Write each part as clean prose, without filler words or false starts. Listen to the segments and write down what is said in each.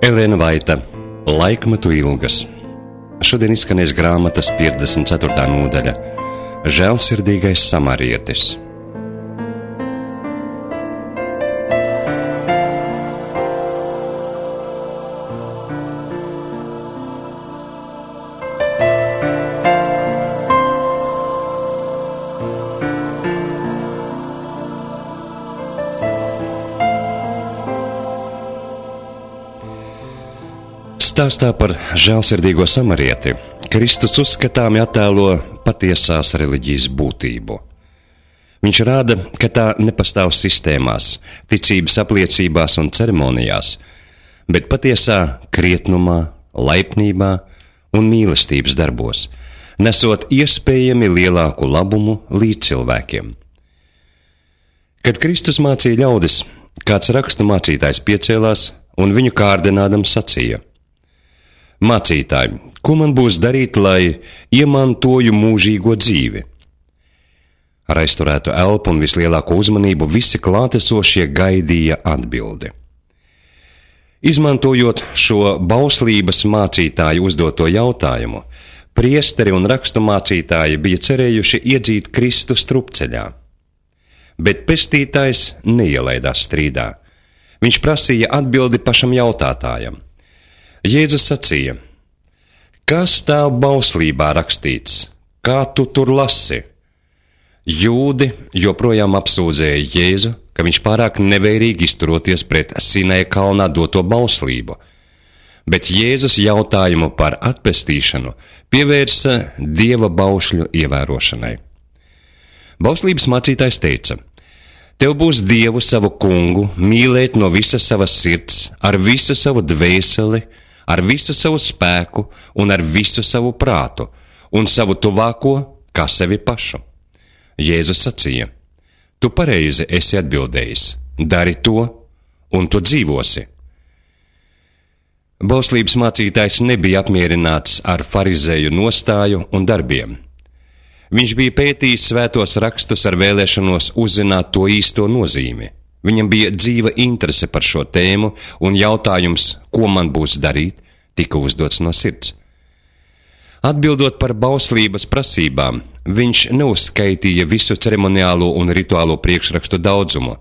Elēna Vaita, Laikmetu ilgas. Šodien izskanēs grāmatas 54. nodaļa Žēlsirdīgais samarietis. Stāstā par žēlsirdīgo samarieti Kristus uzskatāmi attēlo patiesās reliģijas būtību. Viņš rāda, ka tā nepastāv sistēmās, ticības apliecībās un ceremonijās, bet patiesā krietnumā, laipnībā un mīlestības darbos, nesot iespējami lielāku labumu līdz cilvēkiem. Kad Kristus mācīja ļaudis, kāds rakstu mācītājs piecēlās un viņu kārdinādams sacīja: Mācītāji, ko man būs darīt, lai iemantoju mūžīgo dzīvi? Ar aizturētu elpu un vislielāko uzmanību visi klātesošie gaidīja atbildi. Izmantojot šo bauslības mācītāju uzdoto jautājumu, priesteri un rakstu mācītāji bija cerējuši iedzīt Kristu strupceļā. Bet pestītājs neielaidās strīdā. Viņš prasīja atbildi pašam jautātājam. Jēzus sacīja: Kas stāv bauslībā rakstīts? Kā tu tur lasi? Jūdi joprojām apsūdzēja Jēzu, ka viņš pārāk nevērīgi izturoties pret Sinaja kalnā doto bauslību, bet Jēzus jautājumu par atpestīšanu pievērsa Dieva baušļu ievērošanai. Bauslības mācītājs teica: Tev būs Dievu savu kungu mīlēt no visas savas sirds, ar visu savu dvēseli, ar visu savu spēku un ar visu savu prātu, un savu tuvāko kā sevi pašu. Jēzus sacīja: Tu pareizi esi atbildējis, dari to, un tu dzīvosi. Bauslības mācītājs nebija apmierināts ar farizēju nostāju un darbiem. Viņš bija pētījis svētos rakstus ar vēlēšanos uzzināt to īsto nozīmi. Viņam bija dzīva interese par šo tēmu, un jautājums, ko man būs darīt, tika uzdots no sirds. Atbildot par bauslības prasībām, viņš neuzskaitīja visu ceremoniālo un rituālo priekšrakstu daudzumu.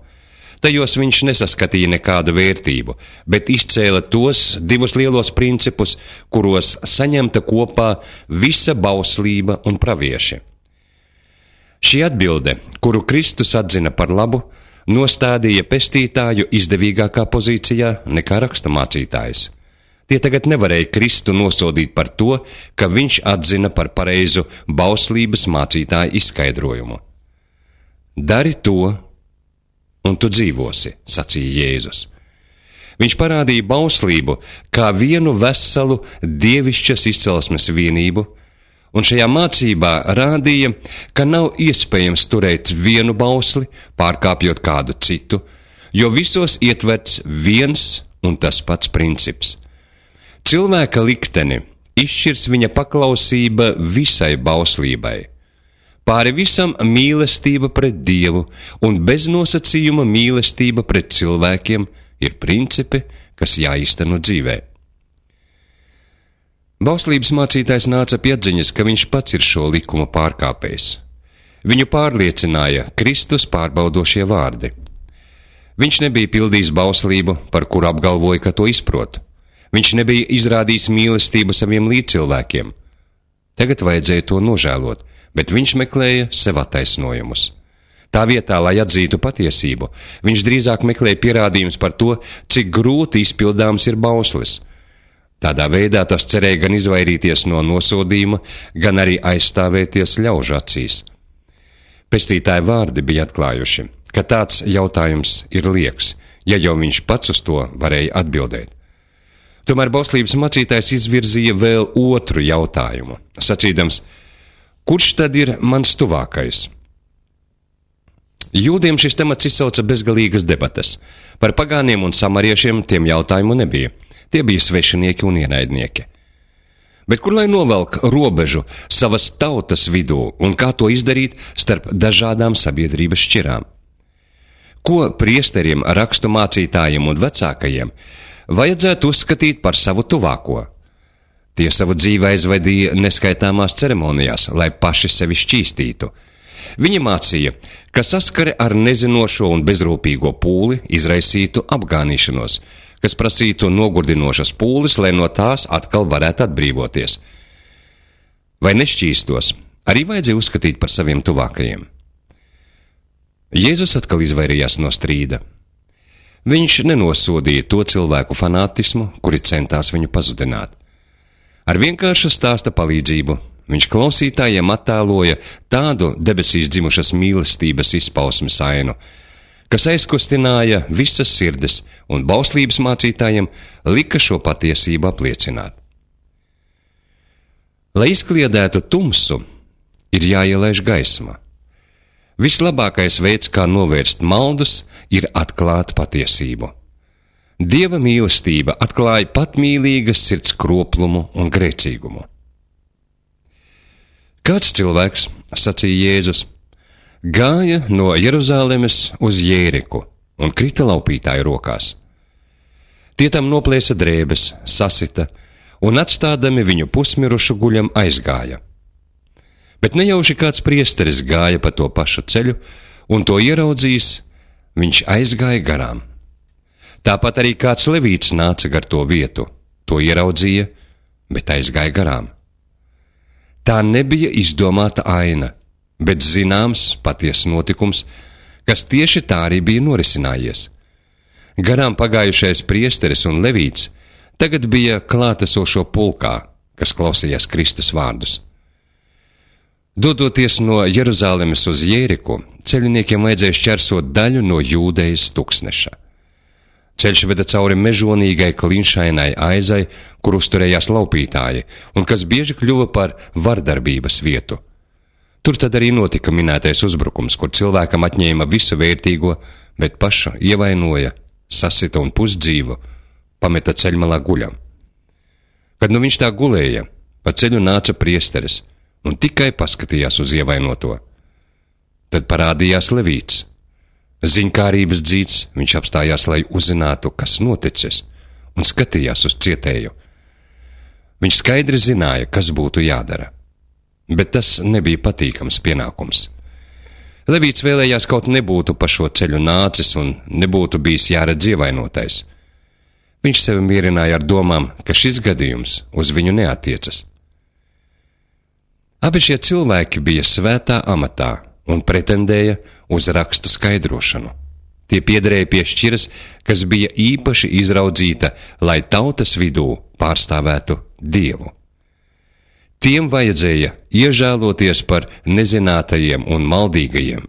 Tajos viņš nesaskatīja nekādu vērtību, bet izcēla tos divus lielos principus, kuros saņemta kopā visa bauslība un pravieši. Šī atbilde, kuru Kristus atzina par labu, nostādīja pestītāju izdevīgākā pozīcijā nekā raksturmācītājs. Tie tagad nevarēja Kristu nosodīt par to, ka viņš atzina par pareizu bauslības mācītāju izskaidrojumu. Dari to, un tu dzīvosi, sacīja Jēzus. Viņš parādīja bauslību kā vienu veselu dievišķas izcelsmes vienību, un šajā mācībā rādīja, ka nav iespējams turēt vienu bausli, pārkāpjot kādu citu, jo visos ietverts viens un tas pats princips. Cilvēka likteni izšķirs viņa paklausība visai bauslībai. Pāri visam mīlestība pret Dievu un beznosacījuma mīlestība pret cilvēkiem ir principi, kas jāīsteno dzīvē. Bauslības mācītājs nāca pie atziņas, ka viņš pats ir šo likumu pārkāpējs. Viņu pārliecināja Kristus pārbaudošie vārdi. Viņš nebija pildījis bauslību, par kuru apgalvoja, ka to izprot. Viņš nebija izrādījis mīlestību saviem līdzcilvēkiem. Tagad vajadzēja to nožēlot, bet viņš meklēja sev attaisnojumus. Tā vietā, lai atzītu patiesību, viņš drīzāk meklēja pierādījumus par to, cik grūti izpildāms ir bauslis. Tādā veidā tas cerēja gan izvairīties no nosodījuma, gan arī aizstāvēties ļaužu acīs. Pestītāja vārdi bija atklājuši, ka tāds jautājums ir lieks, ja jau viņš pats uz to varēja atbildēt. Tomēr bauslības mācītājs izvirzīja vēl otru jautājumu, sacīdams: Kurš tad ir mans tuvākais? Jūdiem šis temats izsauca bezgalīgas debates. Par pagāniem un samariešiem tiem jautājumu nebija. Tie bija svešinieki un ienaidnieki. Bet kur lai novelk robežu savas tautas vidū un kā to izdarīt starp dažādām sabiedrības šķirām? Ko priesteriem, rakstu mācītājiem un vecākajiem vajadzētu uzskatīt par savu tuvāko. Tie savu dzīvi aizvadīja neskaitāmās ceremonijās, lai paši sevi šķīstītu. Viņi mācīja, ka saskare ar nezinošo un bezrūpīgo pūli izraisītu apgānīšanos, kas prasītu nogurdinošas pūles, lai no tās atkal varētu atbrīvoties. Vai nešķīstos, arī vajadzēja uzskatīt par saviem tuvākajiem. Jēzus atkal izvairījās no strīda. Viņš nenosodīja to cilvēku fanātismu, kuri centās viņu pazudināt. Ar vienkāršu stāsta palīdzību viņš klausītājiem attēloja tādu debesīs dzimušas mīlestības izpausmes ainu, kas aizkustināja visas sirdis un bauslības mācītājiem lika šo patiesību apliecināt. Lai izkliedētu tumsu, ir jāielaiž gaisma. Vislabākais veids, kā novērst maldus, ir atklāt patiesību. Dieva mīlestība atklāja patmīlīgas sirds kroplumu un grēcīgumu. Kāds cilvēks, sacīja Jēzus, gāja no Jeruzalemes uz Jēriku un krita laupītāju rokās. Tie tam noplēsa drēbes, sasita un atstādami viņu pusmirušu guļam aizgāja. Bet nejauši kāds priesteris gāja pa to pašu ceļu, un to ieraudzījis, viņš aizgāja garām. Tāpat arī kāds levīts nāca gar to vietu, to ieraudzīja, bet aizgāja garām. Tā nebija izdomāta aina, bet zināms patiess notikums, kas tieši tā arī bija norisinājies. Garām pagājušais priesteris un levīts tagad bija klātesošo pulkā, kas klausījās Kristus vārdus. Dodoties no Jeruzalemes uz Jēriku, ceļniekiem vajadzēja šķērsot daļu no Jūdejas tuksneša. Ceļš veda cauri mežonīgai klinšainai aizai, kur uzturējās laupītāji, un kas bieži kļuva par vardarbības vietu. Tur tad arī notika minētais uzbrukums, kur cilvēkam atņēma visu vērtīgo, bet pašu ievainoja, sasita un pusdzīvu, pameta ceļmalā guļam. Kad nu viņš tā gulēja, pa ceļu nāca priesteris, un tikai paskatījās uz ievainoto. Tad parādījās levīts. Ziņkārības dzīts viņš apstājās, lai uzzinātu, kas noticis, un skatījās uz cietēju. Viņš skaidri zināja, kas būtu jādara, bet tas nebija patīkams pienākums. Levīts vēlējās kaut nebūtu pa šo ceļu nācis un nebūtu bijis jāredz ievainotais. Viņš sevi mierināja ar domām, ka šis gadījums uz viņu neatiecas. Abi šie cilvēki bija svētā amatā un pretendēja uz rakstu skaidrošanu. Tie piederēja pie šķiras, kas bija īpaši izraudzīta, lai tautas vidū pārstāvētu Dievu. Tiem vajadzēja iežēloties par nezinātajiem un maldīgajiem,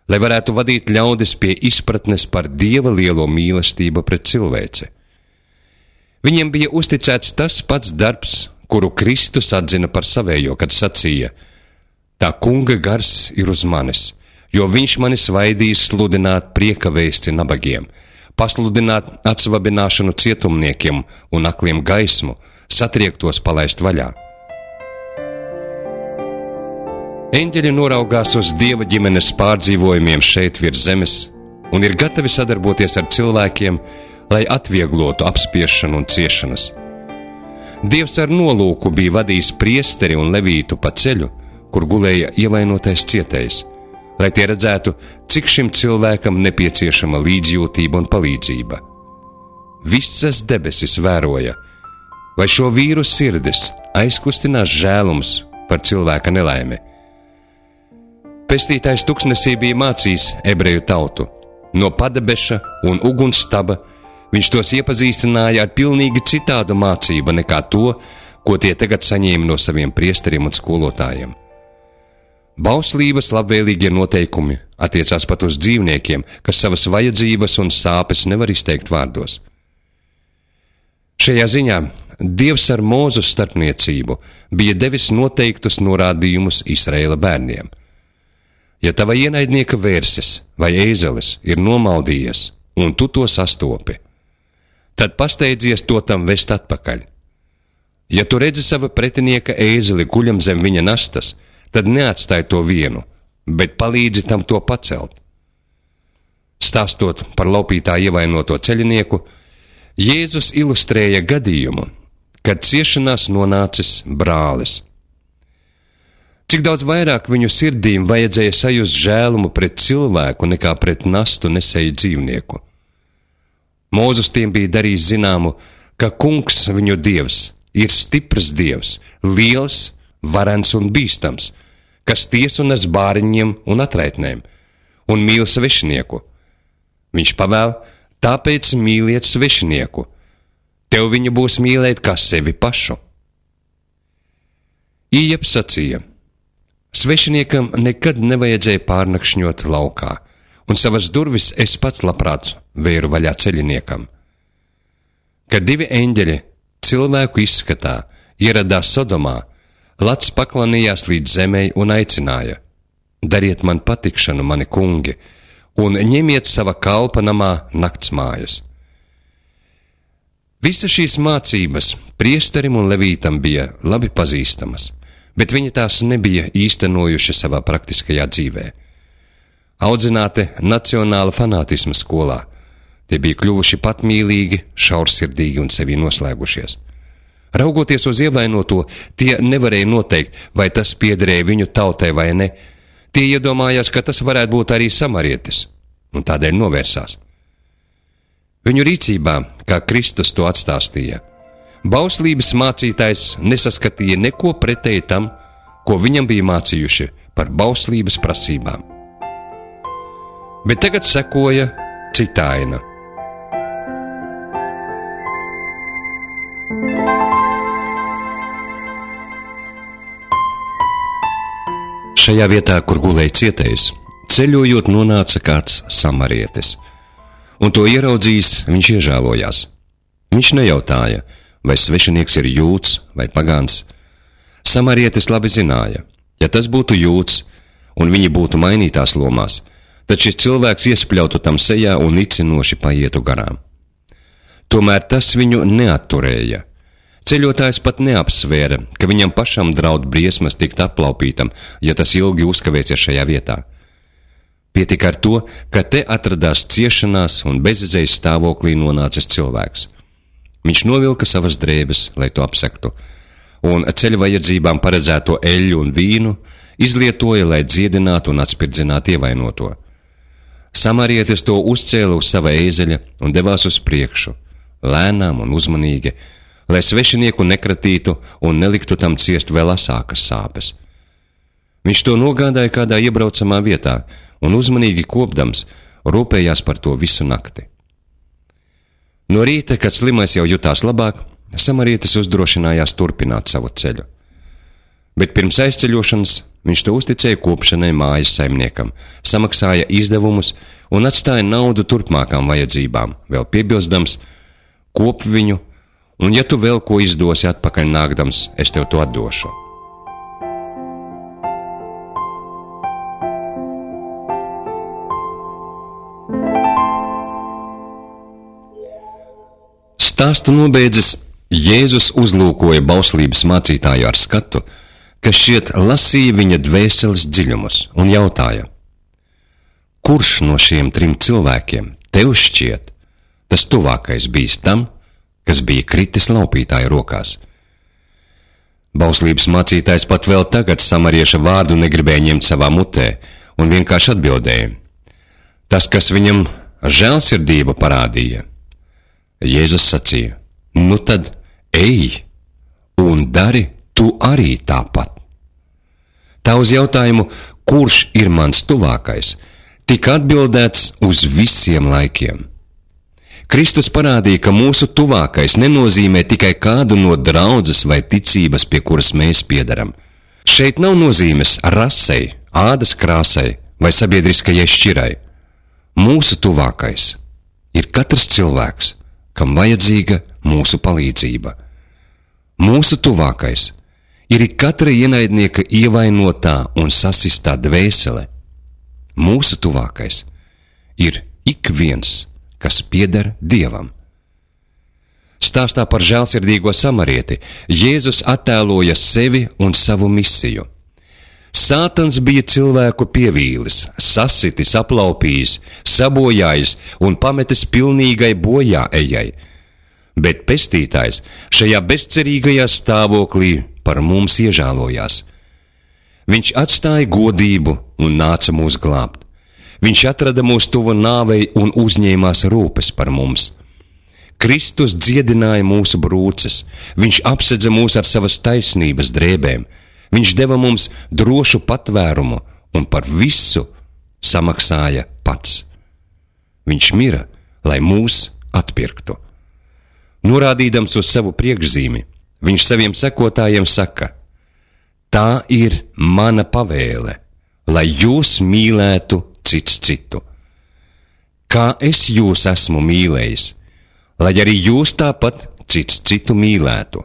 lai varētu vadīt ļaudis pie izpratnes par Dieva lielo mīlestību pret cilvēci. Viņiem bija uzticēts tas pats darbs, kuru Kristus atzina par savējo, kad sacīja: tā kunga gars ir uz manis, jo viņš mani svaidīs sludināt prieka vēsti nabagiem, pasludināt atsvabināšanu cietumniekiem un akliem gaismu, satriektos palaist vaļā. Eņģeļi noraugās uz Dieva ģimenes pārdzīvojumiem šeit virs zemes un ir gatavi sadarboties ar cilvēkiem, lai atvieglotu apspiešanu un ciešanas. Dievs ar nolūku bija vadījis priesteri un levītu pa ceļu, kur gulēja ievainotais cietējs, lai tie redzētu, cik šim cilvēkam nepieciešama līdzjūtība un palīdzība. Visas debesis vēroja, vai šo vīru sirdis aizkustinās žēlums par cilvēka nelaimi. Pestītājs tuksnesī bija mācījis ebreju tautu. No padebeša un ugunstaba viņš tos iepazīstināja ar pilnīgi citādu mācību nekā to, ko tie tagad saņēma no saviem priesteriem un skolotājiem. Bauslības labvēlīgie noteikumi attiecās pat uz dzīvniekiem, kas savas vajadzības un sāpes nevar izteikt vārdos. Šajā ziņā Dievs ar Mūzes starpniecību bija devis noteiktus norādījumus Izraēla bērniem. Ja tava ienaidnieka vērsis vai ēzelis ir nomaldījies, un tu to sastopi, tad pasteidzies to tam vest atpakaļ. Ja tu redzi sava pretinieka ēzeli guļam zem viņa nastas, tad neatstāj to vienu, bet palīdzi tam to pacelt. Stāstot par laupītā ievainoto ceļinieku, Jēzus ilustrēja gadījumu, kad ciešanās nonācis brālis. Cik daudz vairāk viņu sirdīm vajadzēja sajust žēlumu pret cilvēku nekā pret nastu nesēju dzīvnieku. Mūzus tiem bija darījis zināmu, ka kungs viņu dievs ir stiprs dievs, liels, varens un bīstams, kas tiesu nes bāriņiem un atraitnēm, un mīl svešinieku. Viņš pavēl, tāpēc mīliet svešinieku. Tev viņu būs mīlēt kā sevi pašu. Ieps sacīja, svešiniekam nekad nevajadzēja pārnakšņot laukā, un savas durvis es pats labprāt vēru vaļā ceļiniekam. Kad divi eņģeļi cilvēku izskatā ieradās Sodomā, Lats paklanījās līdz zemei un aicināja: dariet man patikšanu, mani kungi, un ņemiet sava kalpa namā naktsmājas. Visas šīs mācības priesterim un levītam bija labi pazīstamas, bet viņi tās nebija īstenojuši savā praktiskajā dzīvē. Audzināti nacionāla fanātisma skolā, tie bija kļuvuši patmīlīgi, šaursirdīgi un sevi noslēgušies. Raugoties uz ievainoto, tie nevarēja noteikt, vai tas piederēja viņu tautai vai ne. Tie iedomājās, ka tas varētu būt arī samarietis, un tādēļ novērsās. Viņu rīcībā, kā Kristus to atstāstīja, bauslības mācītājs nesaskatīja neko pretēji tam, ko viņam bija mācījuši par bauslības prasībām. Bet tagad sekoja cita aina. Šajā vietā, kur gulēja cietējs, ceļojot nonāca kāds samarietis, un to ieraudzījis, viņš iežēlojās. Viņš nejautāja, vai svešinieks ir jūds vai pagāns. Samarietis labi zināja, ja tas būtu jūds, un viņi būtu mainītās lomās, tad šis cilvēks iespļautu tam sejā un nicinoši paietu garām. Tomēr tas viņu neatturēja. Ceļotājs pat neapsvēra, ka viņam pašam draud briesmas tikt aplaupītam, ja tas ilgi uzkavēsies šajā vietā. Pietika ar to, ka te atradās ciešanās un bezizejas stāvoklī nonācis cilvēks. Viņš novilka savas drēbes, lai to apsektu, un ceļa vajadzībām paredzēto eļļu un vīnu izlietoja, lai dziedinātu un atspirdzinātu ievainoto. Samarietis to uzcēla uz sava ēzeļa un devās uz priekšu, lēnām un uzmanīgi, lai svešinieku nekratītu un neliktu tam ciest vēl asākas sāpes. Viņš to nogādāja kādā iebraucamā vietā un uzmanīgi kopdams rūpējās par to visu nakti. No rīta, kad slimais jau jutās labāk, samarietis uzdrošinājās turpināt savu ceļu. Bet pirms aizceļošanas viņš to uzticēja kopšanai mājas saimniekam, samaksāja izdevumus un atstāja naudu turpmākām vajadzībām, vēl piebilstams: kop viņu, un ja tu vēl ko izdosi atpakaļ nākdams, es tev to atdošu. Stāstu nobeidzis, Jēzus uzlūkoja bauslības mācītāju ar skatu, kas šķiet lasīja viņa dvēseles dziļumus, un jautāja: kurš no šiem 3 cilvēkiem tev šķiet tas tuvākais bijis tam, kas bija kritis laupītāja rokās? Bauslības mācītājs pat vēl tagad samarieša vārdu negribēja ņemt savā mutē, un vienkārši atbildēja: tas, kas viņam žēlsirdību parādīja. Jēzus sacīja: nu tad ej un dari tu arī tāpat. Tā uz jautājumu, kurš ir mans tuvākais, tika atbildēts uz visiem laikiem. Kristus parādīja, ka mūsu tuvākais nenozīmē tikai kādu no draudzes vai ticības, pie kuras mēs piedaram. Šeit nav nozīmes rasei, ādas krāsai vai sabiedriskajai šķirai. Mūsu tuvākais ir katrs cilvēks, kam vajadzīga mūsu palīdzība. Mūsu tuvākais ir katra ienaidnieka ievainotā un sasistā dvēsele. Mūsu tuvākais ir ik viens, kas pieder Dievam. Stāstā par žēlsirdīgo samarieti Jēzus attēloja sevi un savu misiju. Sātans bija cilvēku pievīlis, sasitis, aplaupījis, sabojājis un pametis pilnīgai bojā ejai. bet pestītājs šajā bezcerīgajā stāvoklī par mums iežālojās. Viņš atstāja godību un nāca mūs glābt. Viņš atrada mūs tuvu nāvei un uzņēmās rūpes par mums. Kristus dziedināja mūsu brūces, viņš apsedza mūs ar savas taisnības drēbēm, viņš deva mums drošu patvērumu un par visu samaksāja pats. Viņš mira, lai mūs atpirktu. Norādīdams uz savu priekšzīmi, viņš saviem sekotājiem saka: tā ir mana pavēle, lai jūs mīlētu cits citu. Kā es jūs esmu mīlējis, lai arī jūs tāpat cits citu mīlētu.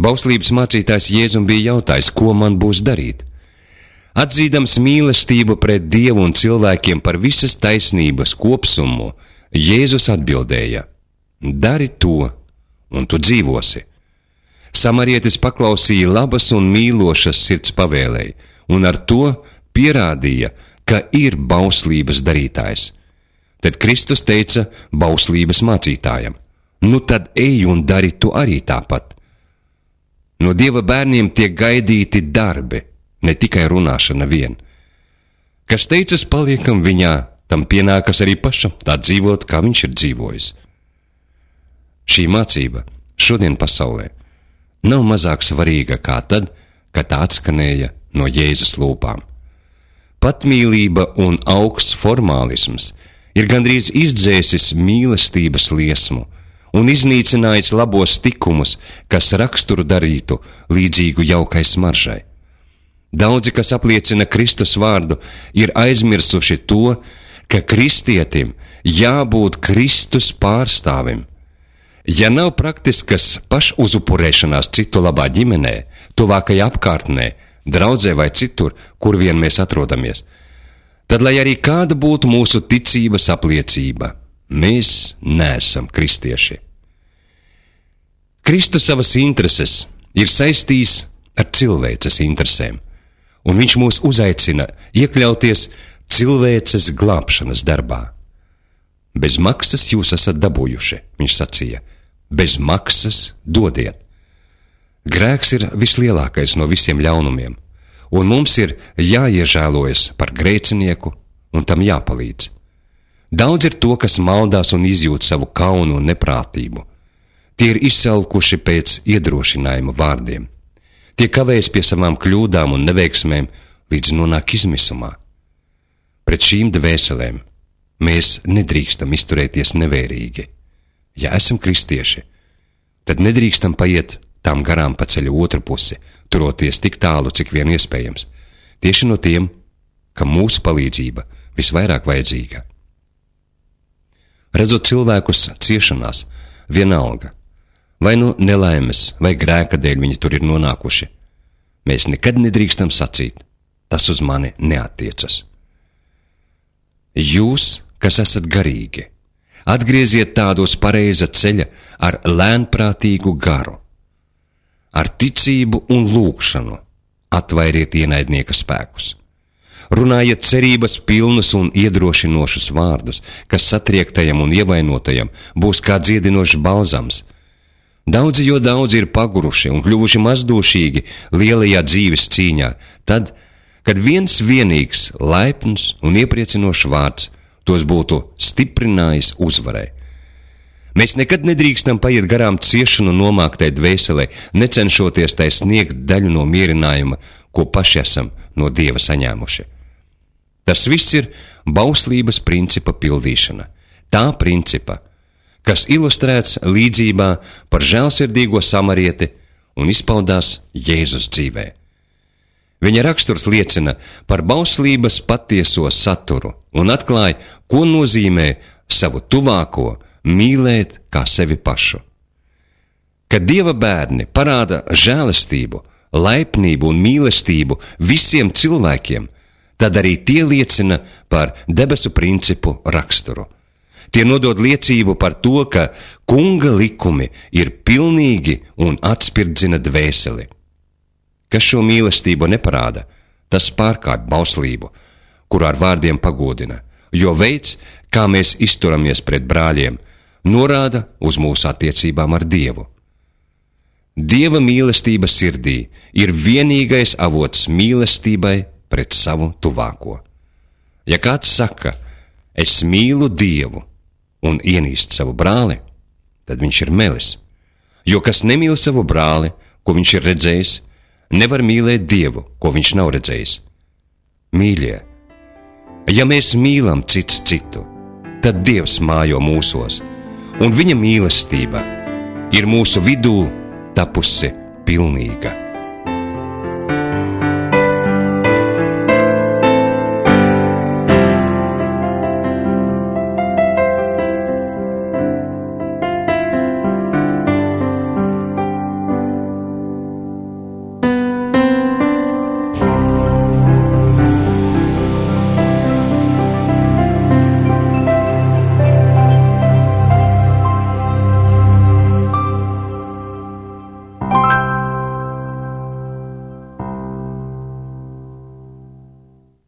Bauslības mācītājs Jēzum bija jautājis, ko man būs darīt. Atzīdams mīlestību pret Dievu un cilvēkiem par visas taisnības kopsumu, Jēzus atbildēja: dari to, un tu dzīvosi. Samarietis paklausīja labas un mīlošas sirds pavēlei, un ar to pierādīja, ka ir bauslības darītājs. Tad Kristus teica bauslības mācītājam: nu tad ej un dari tu arī tāpat. No Dieva bērniem tiek gaidīti darbi, ne tikai runāšana vien. Kas teicas paliekam viņā, tam pienākas arī pašam tā dzīvot, kā viņš ir dzīvojis. Šī mācība šodien pasaulē nav mazāk svarīga kā tad, kad tā atskanēja no Jēzus lūpām. Patmīlība un augsts formālisms ir gandrīz izdzēsis mīlestības liesmu un iznīcinājis labos tikumus, kas raksturu darītu līdzīgu jaukai smaržai. Daudzi, kas apliecina Kristus vārdu, ir aizmirsuši to, ka kristietim jābūt Kristus pārstāvim. Ja nav praktiskas pašuzupurēšanās citu labā ģimenē, tuvākajā apkārtnē, draudzē vai citur, kur vien mēs atrodamies, tad, lai arī kāda būtu mūsu ticības apliecība, mēs neesam kristieši. Kristus savas intereses ir saistījis ar cilvēces interesēm, un viņš mūs uzaicina iekļauties cilvēces glābšanas darbā. Bez maksas jūs esat dabūjuši, viņš sacīja, bez maksas dodiet. Grēks ir vislielākais no visiem ļaunumiem, un mums ir jāiežēlojas par grēcinieku un tam jāpalīdz. Daudz ir to, kas maldās un izjūt savu kaunu un neprātību. Tie ir izsalkuši pēc iedrošinājuma vārdiem. Tie kavējas pie savām kļūdām un neveiksmēm, līdz nonāk izmisumā. Pret šīm dvēselēm mēs nedrīkstam izturēties nevērīgi. Ja esam kristieši, tad nedrīkstam paiet tām garām pa ceļu otru pusi, turoties tik tālu, cik vien iespējams, tieši no tiem, kam mūsu palīdzība visvairāk vajadzīga. Redzot cilvēkus ciešanās, vienalga, vai nu nelaimes, vai grēka dēļ viņi tur ir nonākuši, mēs nekad nedrīkstam sacīt, tas uz mani neattiecas. Jūs, kas esat garīgi, atgrieziet tādos pareiza ceļa ar lēnprātīgu garu. Ar ticību un lūgšanu atvairiet ienaidnieka spēkus. Runājiet cerības pilnus un iedrošinošus vārdus, kas satriektajam un ievainotajam būs kā dziedinošs balzams. Daudzi ir paguruši un kļuvuši mazdošīgi lielajā dzīves cīņā, tad, kad viens vienīgs, laipns un iepriecinošs vārds tos būtu stiprinājis uzvarai. Mēs nekad nedrīkstam paiet garām ciešanu nomāktai dvēselē, necenšoties tai sniegt daļu no mierinājuma, ko paši esam no Dieva saņēmuši. Tas viss ir bauslības principa pildīšana. Tā principa, kas ilustrēts līdzībā par žēlsirdīgo samarieti un izpaudās Jēzus dzīvē. Viņa raksturs liecina par bauslības patieso saturu un atklāja, ko nozīmē savu tuvāko mīlēt kā sevi pašu. Kad Dieva bērni parāda žēlastību, laipnību un mīlestību visiem cilvēkiem, tad arī tie liecina par debesu principu raksturu. Tie nodod liecību par to, ka kunga likumi ir pilnīgi un atspirdzina dvēseli. Kas šo mīlestību neparāda, tas pārkāpj bauslību, kur ar vārdiem pagodina, jo veids, kā mēs izturamies pret brāļiem, norāda uz mūsu attiecībām ar Dievu. Dieva mīlestība sirdī ir vienīgais avots mīlestībai pret savu tuvāko. Ja kāds saka, es mīlu Dievu un ienīst savu brāli, tad viņš ir melis, jo kas nemīl savu brāli, ko viņš ir redzējis, nevar mīlēt Dievu, ko viņš nav redzējis. Mīļie, ja mēs mīlam cits citu, tad Dievs mājo mūsos, un viņa mīlestība ir mūsu vidū tapusi pilnīga.